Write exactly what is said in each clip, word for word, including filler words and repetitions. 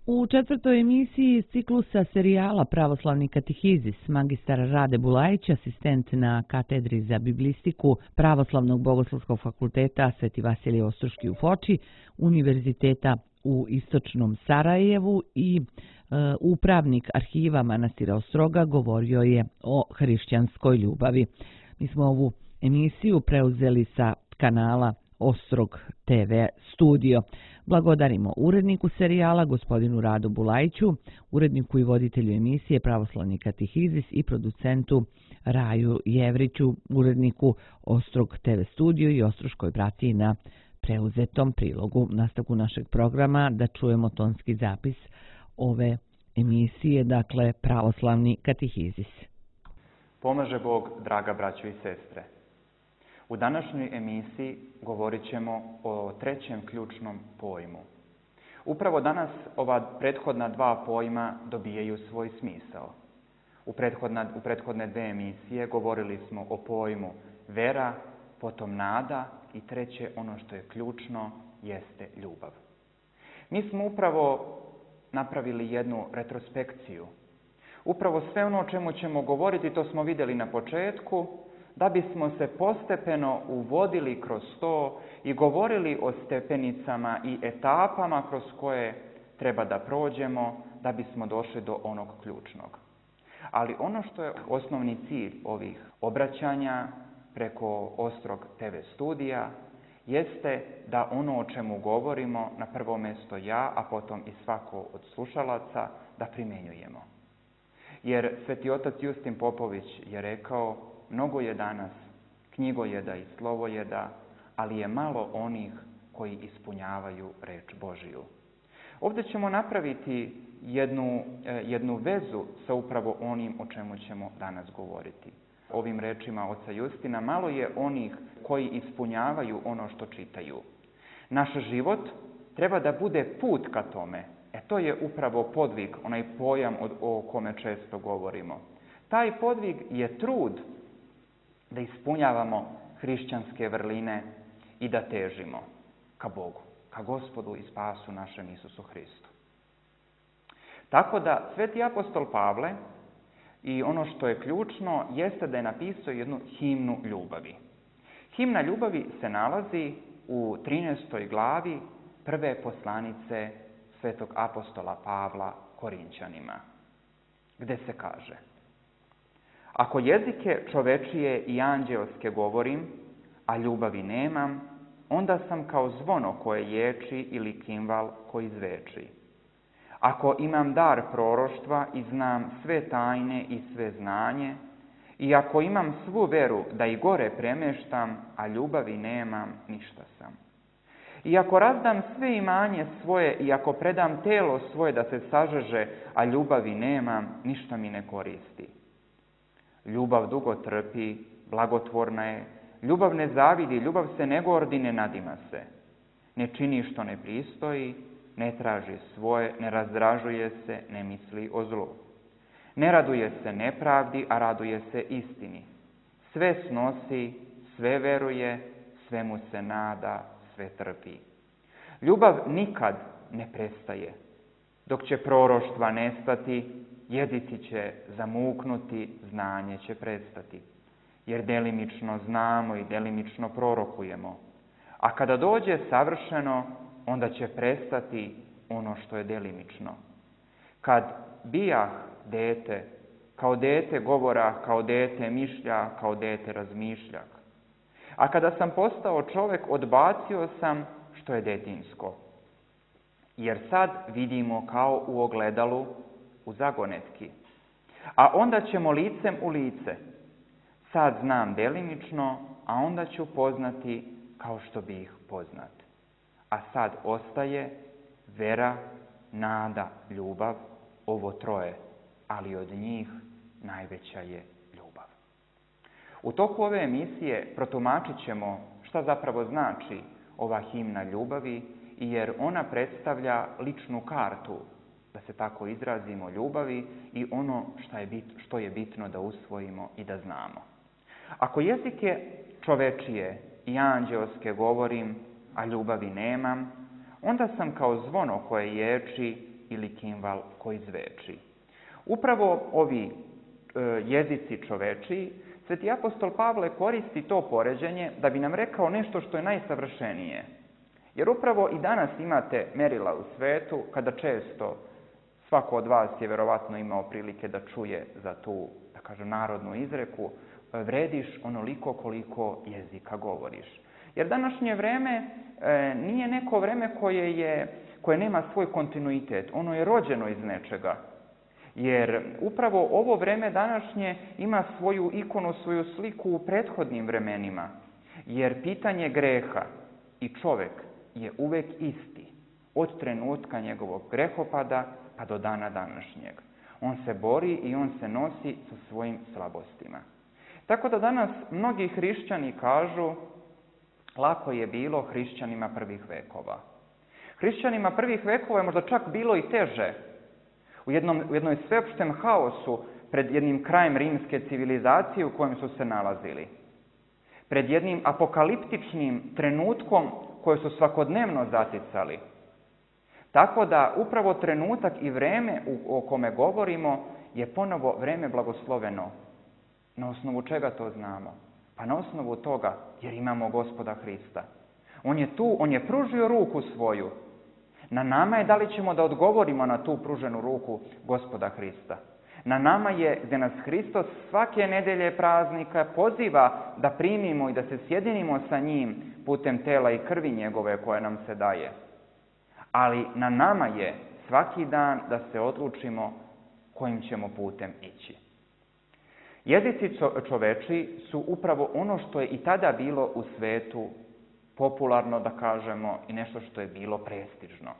U četvrtoj emisiji iz ciklusa serijala Pravoslavni katehizis magistar Rade Bulajić, asistent na katedri za biblistiku Pravoslavnog bogoslovskog fakulteta Sveti Vasilije Ostroški u Foči, Univerziteta u Istočnom Sarajevu i e, upravnik arhiva manastira Ostroga govorio je o hrišćanskoj ljubavi. Mi smo ovu emisiju preuzeli sa kanala Ostrog te ve studio. Blagodarimo uredniku serijala, gospodinu Radu Bulajiću, uredniku i voditelju emisije Pravoslavni katehizis i producentu Raju Jevriću, uredniku Ostrog te ve studio i Ostroškoj bratiji na preuzetom prilogu. Nastavku našeg programa da čujemo tonski zapis ove emisije, dakle Pravoslavni katehizis. Pomaže Bog, draga braćo i sestre. U današnjoj emisiji govorit ćemo o trećem ključnom pojmu. Upravo danas ova prethodna dva pojma dobijaju svoj smisao. U, prethodna, u prethodne dve emisije govorili smo o pojmu vera, potom nada i treće, ono što je ključno, jeste ljubav. Mi smo upravo napravili jednu retrospekciju. Upravo sve ono o čemu ćemo govoriti, to smo vidjeli na početku, da bismo se postepeno uvodili kroz to i govorili o stepenicama i etapama kroz koje treba da prođemo da bismo došli do onog ključnog. Ali ono što je osnovni cilj ovih obraćanja preko Ostrog te ve studija jeste da ono o čemu govorimo, na prvo mjesto ja, a potom i svako od slušalaca, da primjenjujemo. Jer Sveti otac Justin Popović je rekao: mnogo je danas knjigojeda i slovojeda, ali je malo onih koji ispunjavaju reč Božiju. Ovdje ćemo napraviti jednu, jednu vezu sa upravo onim o čemu ćemo danas govoriti. Ovim rečima oca Justina, malo je onih koji ispunjavaju ono što čitaju. Naš život treba da bude put ka tome. E to je upravo podvig, onaj pojam o kome često govorimo. Taj podvig je trud da ispunjavamo hrišćanske vrline i da težimo ka Bogu, ka Gospodu i spasu našem Isusu Hristu. Tako da sveti apostol Pavle, i ono što je ključno, jeste da je napisao jednu himnu ljubavi. Himna ljubavi se nalazi u trinaestoj glavi prve poslanice svetog apostola Pavla Korinćanima, gde se kaže: ako jezike čovečije i anđeoske govorim, a ljubavi nemam, onda sam kao zvono koje ječi ili kimval koji zveči. Ako imam dar proroštva i znam sve tajne i sve znanje, i ako imam svu veru da i gore premeštam, a ljubavi nemam, ništa sam. I ako razdam sve imanje svoje i ako predam telo svoje da se sažeže, a ljubavi nemam, ništa mi ne koristi. Ljubav dugo trpi, blagotvorna je, ljubav ne zavidi, ljubav se ne gordi, ne nadima se. Ne čini što ne pristoji, ne traži svoje, ne razdražuje se, ne misli o zlu. Ne raduje se nepravdi, a raduje se istini. Sve snosi, sve veruje, svemu se nada, sve trpi. Ljubav nikad ne prestaje. Dok će proroštva nestati, jezici će zamuknuti, znanje će prestati. Jer delimično znamo i delimično prorokujemo. A kada dođe savršeno, onda će prestati ono što je delimično. Kad bijah dete, kao dete govora, kao dete mišlja, kao dete razmišljak. A kada sam postao čovjek, odbacio sam što je detinjsko. Jer sad vidimo kao u ogledalu, u zagonetki. A onda ćemo licem u lice. Sad znam delimično, a onda ću poznati kao što bih poznat. A sad ostaje vera, nada, ljubav, ovo troje, ali od njih najveća je ljubav. U toku ove emisije protumačit ćemo šta zapravo znači ova himna ljubavi, jer ona predstavlja ličnu kartu, da se tako izrazimo, ljubavi i ono što je, bit, što je bitno da usvojimo i da znamo. Ako jezike čovečije i anđeoske govorim, a ljubavi nemam, onda sam kao zvono koje ječi ili kimval koji zveči. Upravo ovi e, jezici čovečiji, sveti apostol Pavle koristi to poređenje da bi nam rekao nešto što je najsavršenije. Jer upravo i danas imate merila u svetu kada često svako od vas je verovatno imao prilike da čuje za tu, da kažem, narodnu izreku, vrediš onoliko koliko jezika govoriš. Jer današnje vreme e, nije neko vreme koje, je, koje nema svoj kontinuitet. Ono je rođeno iz nečega. Jer upravo ovo vreme današnje ima svoju ikonu, svoju sliku u prethodnim vremenima. Jer pitanje greha i čovek je uvek isti. Od trenutka njegovog grehopada pa do dana današnjeg. On se bori i on se nosi sa svojim slabostima. Tako da danas mnogi hrišćani kažu lako je bilo hrišćanima prvih vekova. Hrišćanima prvih vekova je možda čak bilo i teže. U, jednom, u jednoj sveopštem haosu pred jednim krajem rimske civilizacije u kojem su se nalazili. Pred jednim apokaliptičnim trenutkom koje su svakodnevno zaticali. Tako da upravo trenutak i vreme o kome govorimo je ponovo vreme blagosloveno. Na osnovu čega to znamo? Pa na osnovu toga jer imamo Gospoda Hrista. On je tu, on je pružio ruku svoju. Na nama je da li ćemo da odgovorimo na tu pruženu ruku Gospoda Hrista. Na nama je gdje nas Hristos svake nedelje praznika poziva da primimo i da se sjedinimo sa njim putem tela i krvi njegove koje nam se daje. Ali na nama je svaki dan da se odlučimo kojim ćemo putem ići. Jezici čoveči su upravo ono što je i tada bilo u svetu popularno, da kažemo, i nešto što je bilo prestižno.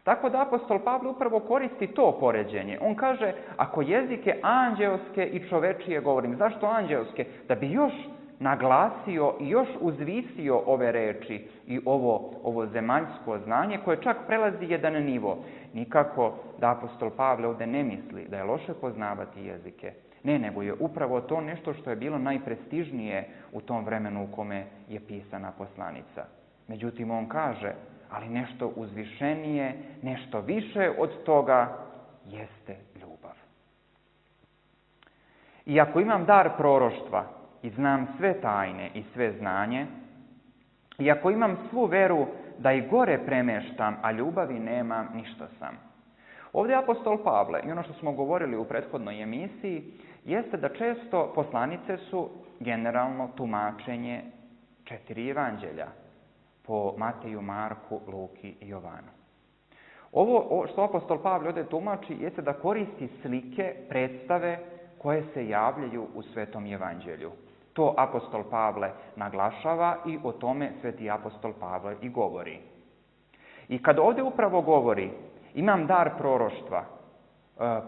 Tako da apostol Pavle upravo koristi to poređenje. On kaže, ako jezike anđeoske i čovečije govorim, zašto anđeoske? Da bi još naglasio i još uzvisio ove reči i ovo, ovo zemaljsko znanje koje čak prelazi jedan nivo. Nikako da apostol Pavle ovdje ne misli da je loše poznavati jezike. Ne, nego je upravo to nešto što je bilo najprestižnije u tom vremenu u kome je pisana poslanica. Međutim, on kaže, ali nešto uzvišenije, nešto više od toga jeste ljubav. I ako imam dar proroštva i znam sve tajne i sve znanje, i ako imam svu veru da i gore premeštam, a ljubavi nemam, ništa sam. Ovdje apostol Pavle, i ono što smo govorili u prethodnoj emisiji, jeste da često poslanice su generalno tumačenje četiri evanđelja po Mateju, Marku, Luki i Jovanu. Ovo što apostol Pavle ovdje tumači jeste da koristi slike, predstave koje se javljaju u Svetom evanđelju. To apostol Pavle naglašava i o tome sveti apostol Pavle i govori. I kad ovdje upravo govori imam dar proroštva,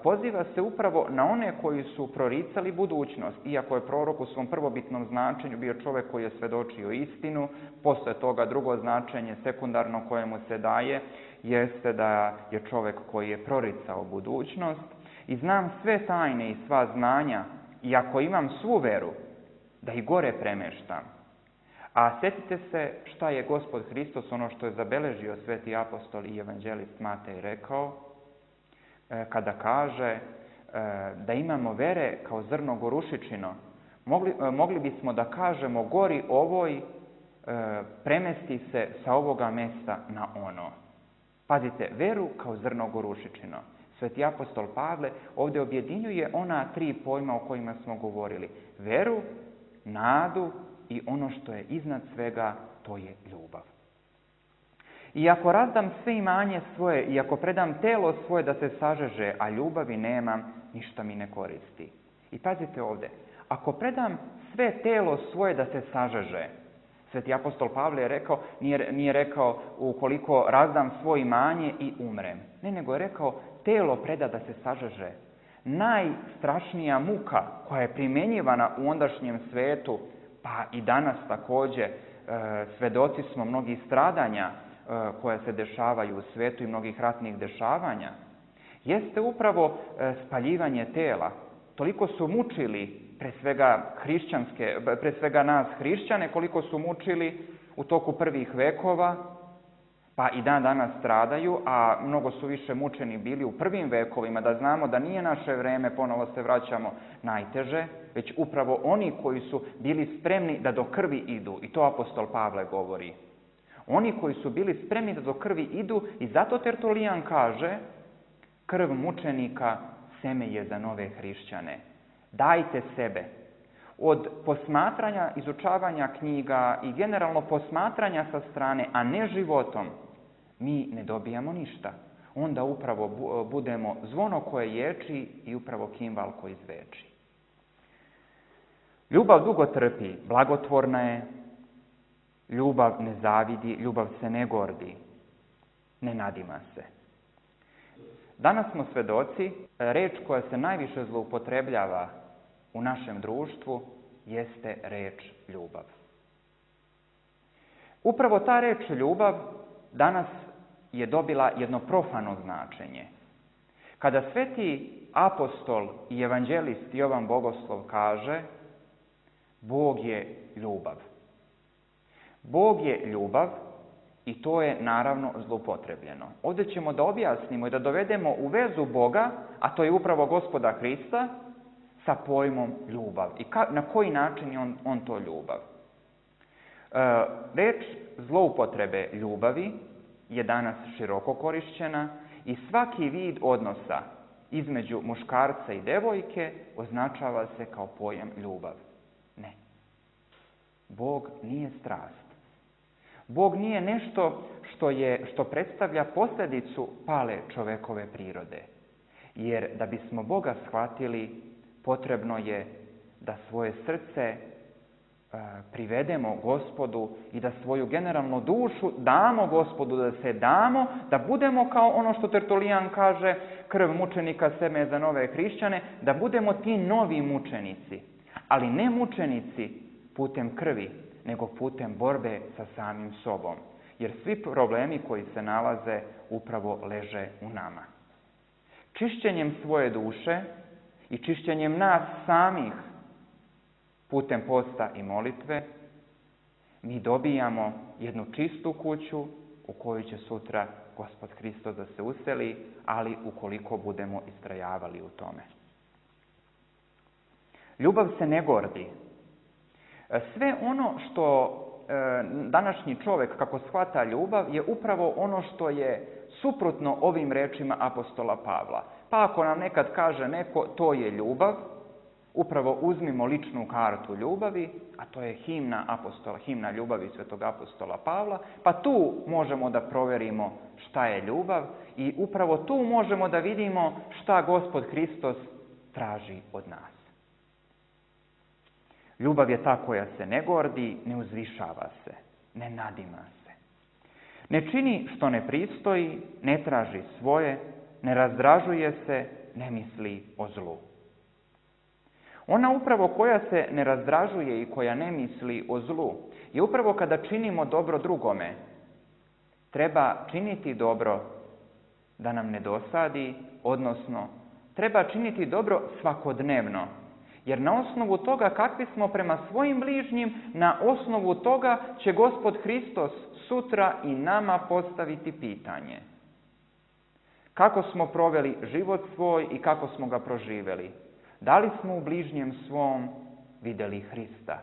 poziva se upravo na one koji su proricali budućnost, iako je prorok u svom prvobitnom značenju bio čovjek koji je svedočio istinu, posle toga drugo značenje sekundarno koje mu se daje jeste da je čovjek koji je proricao budućnost i znam sve tajne i sva znanja i ako imam svu veru da i gore premeštam. A sjetite se šta je Gospod Hristos, ono što je zabeležio sveti apostol i evanđelist Matej rekao, kada kaže da imamo vere kao zrno gorušičino. Mogli, mogli bismo da kažemo gori ovoj premesti se sa ovoga mesta na ono. Pazite, veru kao zrno gorušičino. Sveti apostol Pavle ovdje objedinjuje ona tri pojma o kojima smo govorili. Veru, nadu i ono što je iznad svega, to je ljubav. I ako razdam sve imanje svoje i ako predam telo svoje da se sažeže, a ljubavi nemam, ništa mi ne koristi. I pazite ovdje, ako predam sve telo svoje da se sažeže, sveti apostol Pavle je rekao, nije, nije rekao ukoliko razdam svoje imanje i umrem. Ne, nego je rekao telo preda da se sažeže. Najstrašnija muka koja je primjenjivana u ondašnjem svetu, pa i danas također, e, svedoci smo mnogih stradanja koja se dešavaju u svijetu i mnogih ratnih dešavanja, jeste upravo spaljivanje tela. Toliko su mučili pre svega hrišćanske, pre svega nas hrišćane, koliko su mučili u toku prvih vekova, pa pa i dan danas stradaju, a mnogo su više mučeni bili u prvim vekovima, da znamo da nije naše vreme, ponovo se vraćamo, najteže, već upravo oni koji su bili spremni da do krvi idu, i to apostol Pavle govori. Oni koji su bili spremni da do krvi idu, i zato Tertulijan kaže, krv mučenika seme je za nove hrišćane. Dajte sebe. Od posmatranja, izučavanja knjiga i generalno posmatranja sa strane, a ne životom, mi ne dobijamo ništa. Onda upravo budemo zvono koje ječi i upravo kimbal koji zveči. Ljubav dugo trpi, blagotvorna je, ljubav ne zavidi, ljubav se ne gordi, ne nadima se. Danas smo svedoci, reč koja se najviše zloupotrebljava u našem društvu jeste reč ljubav. Upravo ta reč ljubav danas je dobila jedno profano značenje. Kada sveti apostol i evanđelist Jovan Bogoslov kaže Bog je ljubav. Bog je ljubav i to je naravno zloupotrebljeno. Ovdje ćemo da objasnimo i da dovedemo u vezu Boga, a to je upravo Gospoda Hrista, sa pojmom ljubav i ka, na koji način je on, on to ljubav. E, reč zloupotrebe ljubavi je danas široko korišćena i svaki vid odnosa između muškarca i devojke označava se kao pojam ljubav. Ne. Bog nije strast. Bog nije nešto što, je, što predstavlja posljedicu pale čovekove prirode. Jer da bismo Boga shvatili, potrebno je da svoje srce e, privedemo Gospodu i da svoju generalnu dušu damo Gospodu, da se damo, da budemo kao ono što Tertulijan kaže, krv mučenika seme za nove hrišćane, da budemo ti novi mučenici, ali ne mučenici putem krvi, nego putem borbe sa samim sobom. Jer svi problemi koji se nalaze upravo leže u nama. Čišćenjem svoje duše i čišćenjem nas samih putem posta i molitve, mi dobijamo jednu čistu kuću u kojoj će sutra Gospod Hristos da se useli, ali ukoliko budemo istrajavali u tome. Ljubav se ne gordi. Sve ono što e, današnji čovjek, kako shvata ljubav, je upravo ono što je suprotno ovim rečima apostola Pavla. Pa ako nam nekad kaže neko to je ljubav, upravo uzmimo ličnu kartu ljubavi, a to je himna apostola, himna ljubavi svetog apostola Pavla, pa tu možemo da proverimo šta je ljubav i upravo tu možemo da vidimo šta Gospod Hristos traži od nas. Ljubav je ta koja se ne gordi, ne uzvišava se, ne nadima se. Ne čini što ne pristoji, ne traži svoje, ne razdražuje se, ne misli o zlu. Ona upravo koja se ne razdražuje i koja ne misli o zlu je upravo kada činimo dobro drugome. Treba činiti dobro da nam ne dosadi, odnosno treba činiti dobro svakodnevno. Jer na osnovu toga kakvi smo prema svojim bližnjim, na osnovu toga će Gospod Hristos sutra i nama postaviti pitanje. Kako smo proveli život svoj i kako smo ga proživjeli? Da li smo u bližnjem svom vidjeli Hrista?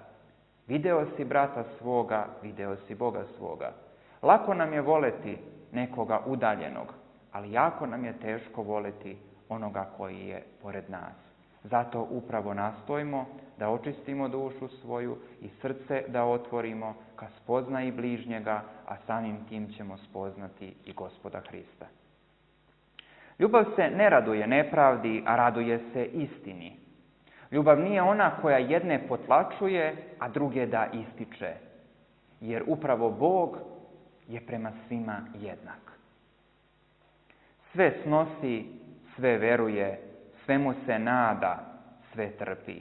Video si brata svoga, video si Boga svoga. Lako nam je voleti nekoga udaljenog, ali jako nam je teško voleti onoga koji je pored nas. Zato upravo nastojimo da očistimo dušu svoju i srce da otvorimo ka spoznaji bližnjega, a samim tim ćemo spoznati i Gospoda Hrista. Ljubav se ne raduje nepravdi, a raduje se istini. Ljubav nije ona koja jedne potlačuje, a druge da ističe. Jer upravo Bog je prema svima jednak. Sve snosi, sve veruje, svemu se nada, sve trpi.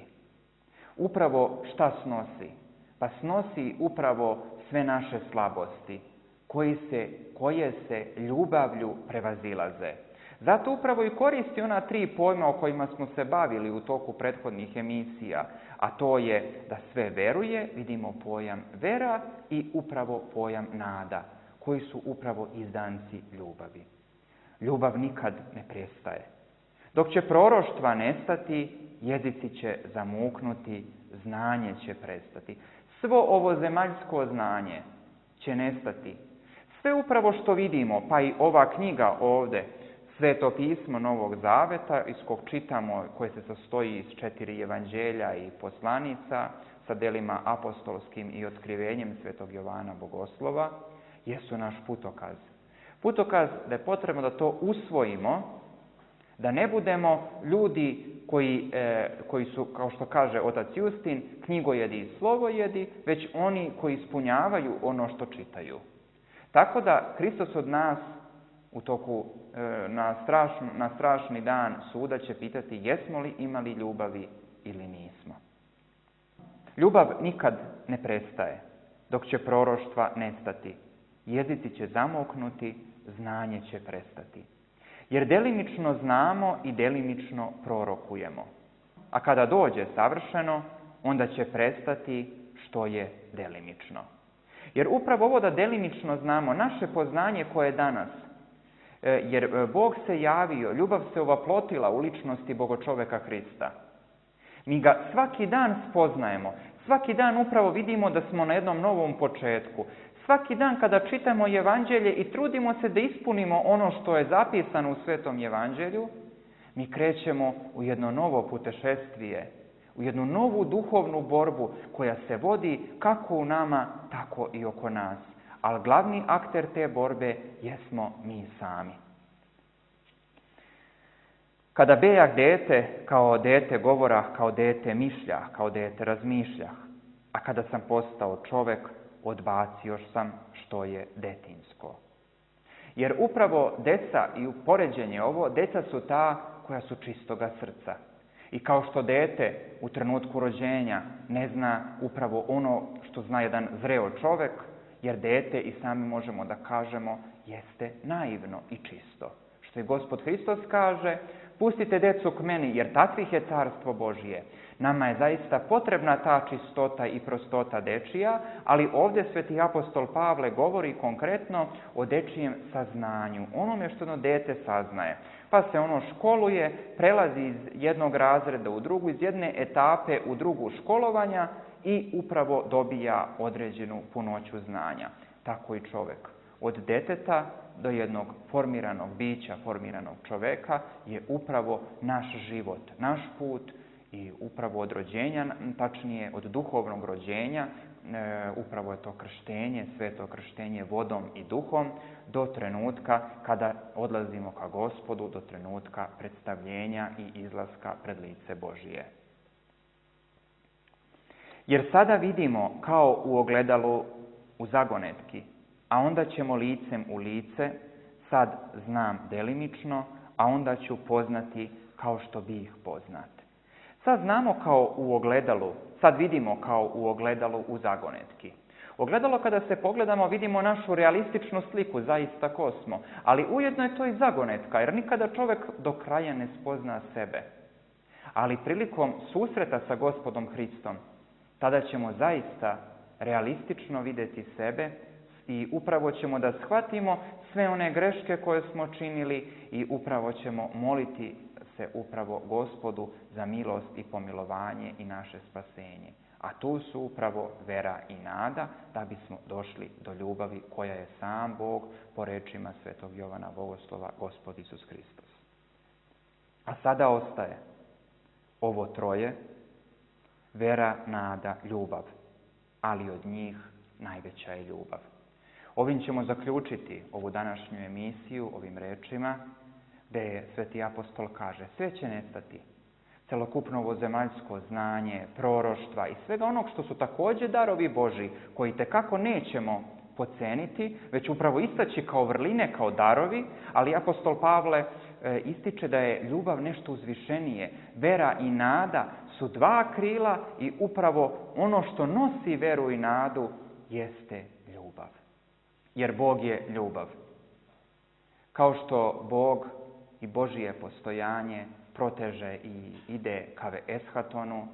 Upravo šta snosi? Pa snosi upravo sve naše slabosti, koji se, koje se ljubavlju prevazilaze. Zato upravo i koristi ona tri pojma o kojima smo se bavili u toku prethodnih emisija, a to je da sve veruje, vidimo pojam vera i upravo pojam nada, koji su upravo izdanci ljubavi. Ljubav nikad ne prestaje. Dok će proroštva nestati, jezici će zamuknuti, znanje će prestati. Svo ovo zemaljsko znanje će nestati. Sve upravo što vidimo, pa i ova knjiga ovde, Sveto pismo Novog Zaveta, iz kog čitamo, koje se sastoji iz četiri evanđelja i poslanica, sa delima apostolskim i otkrivenjem Svetog Jovana Bogoslova, jesu naš putokaz. Putokaz da je potrebno da to usvojimo, da ne budemo ljudi koji, e, koji su, kao što kaže otac Justin, knjigojedi i slovojedi, već oni koji ispunjavaju ono što čitaju. Tako da Hristos od nas u toku e, na, strašn, na strašni dan suda će pitati jesmo li imali ljubavi ili nismo. Ljubav nikad ne prestaje, dok će proroštva nestati. Jezici će zamoknuti, znanje će prestati. Jer delimično znamo i delimično prorokujemo. A kada dođe savršeno, onda će prestati što je delimično. Jer upravo ovo da delimično znamo, naše poznanje koje je danas, jer Bog se javio, ljubav se ovaplotila u ličnosti Bogočoveka Hrista. Mi ga svaki dan spoznajemo, svaki dan upravo vidimo da smo na jednom novom početku. Svaki dan kada čitamo Evanđelje i trudimo se da ispunimo ono što je zapisano u Svetom Evanđelju, mi krećemo u jedno novo putešestvije, u jednu novu duhovnu borbu koja se vodi kako u nama, tako i oko nas. Ali glavni akter te borbe jesmo mi sami. Kada bejah dete, kao dete govora, kao dete mišlja, kao dete razmišlja, a kada sam postao čovek, odbacio sam što je detinjsko. Jer upravo deca i u poređenje ovo, deca su ta koja su čistoga srca. I kao što dete u trenutku rođenja ne zna upravo ono što zna jedan zreo čovek, jer dete i sami možemo da kažemo jeste naivno i čisto. Što i Gospod Hristos kaže, pustite decu k meni, jer takvih je carstvo Božije. Nama je zaista potrebna ta čistota i prostota dečija, ali ovdje sveti apostol Pavle govori konkretno o dečijem saznanju, onome što ono dete saznaje. Pa se ono školuje, prelazi iz jednog razreda u drugu, iz jedne etape u drugu školovanja i upravo dobija određenu punoću znanja. Tako i čovek. Od deteta do jednog formiranog bića, formiranog čoveka je upravo naš život, naš put i upravo od rođenja, tačnije od duhovnog rođenja, e, upravo je to krštenje, sveto krštenje vodom i duhom, do trenutka kada odlazimo ka Gospodu, do trenutka predstavljenja i izlaska pred lice Božije. Jer sada vidimo kao u ogledalu u zagonetki, a onda ćemo licem u lice, sad znam delimično, a onda ću poznati kao što bih poznat. Sad znamo kao u ogledalu, sad vidimo kao u ogledalu u zagonetki. Ogledalo kada se pogledamo vidimo našu realističnu sliku, zaista ko smo, ali ujedno je to i zagonetka, jer nikada čovjek do kraja ne spozna sebe. Ali prilikom susreta sa Gospodom Hristom, tada ćemo zaista realistično vidjeti sebe i upravo ćemo da shvatimo sve one greške koje smo činili i upravo ćemo moliti se upravo Gospodu za milost i pomilovanje i naše spasenje. A tu su upravo vera i nada da bismo došli do ljubavi koja je sam Bog po rečima svetog Jovana Bogoslova, Gospod Isus Hristos. A sada ostaje ovo troje, vera, nada, ljubav, ali od njih najveća je ljubav. Ovim ćemo zaključiti ovu današnju emisiju, ovim rečima, gdje je sveti apostol kaže, sve će nestati, celokupno ovo zemaljsko znanje, proroštva i svega onog što su također darovi Božji, koji tekako nećemo poceniti, već upravo istaći kao vrline, kao darovi, ali apostol Pavle e, ističe da je ljubav nešto uzvišenije. Vera i nada su dva krila i upravo ono što nosi veru i nadu jeste ljubav. Jer Bog je ljubav. Kao što Bog i Božije postojanje proteže i ide ka eshatonu,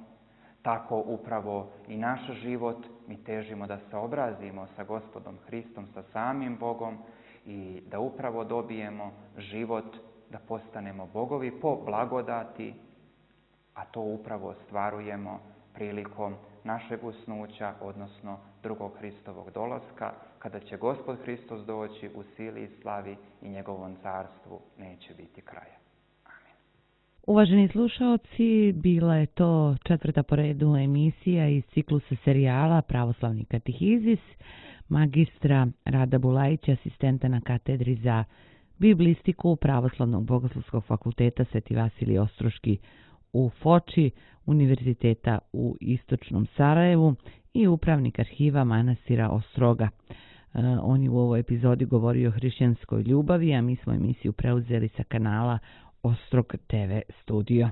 tako upravo i naš život mi težimo da se obrazimo sa Gospodom Hristom, sa samim Bogom i da upravo dobijemo život, da postanemo bogovi po blagodati, a to upravo ostvarujemo prilikom našeg usnuća, odnosno drugog Hristovog dolaska, kada će Gospod Hristos doći u sili i slavi i njegovom carstvu neće biti kraja. Amin. Uvaženi slušaoci, bila je to četvrta po redu emisija iz ciklusa serijala Pravoslavni katehizis, magistra Rada Bulajića, asistenta na katedri za biblistiku Pravoslavnog bogoslovskog fakulteta Sveti Vasilij Ostroški u Foči, Univerziteta u Istočnom Sarajevu i upravnik arhiva manastira Ostroga. On je u ovoj epizodi govorio o hrišćanskoj ljubavi, a mi smo emisiju preuzeli sa kanala Ostrog te ve studio.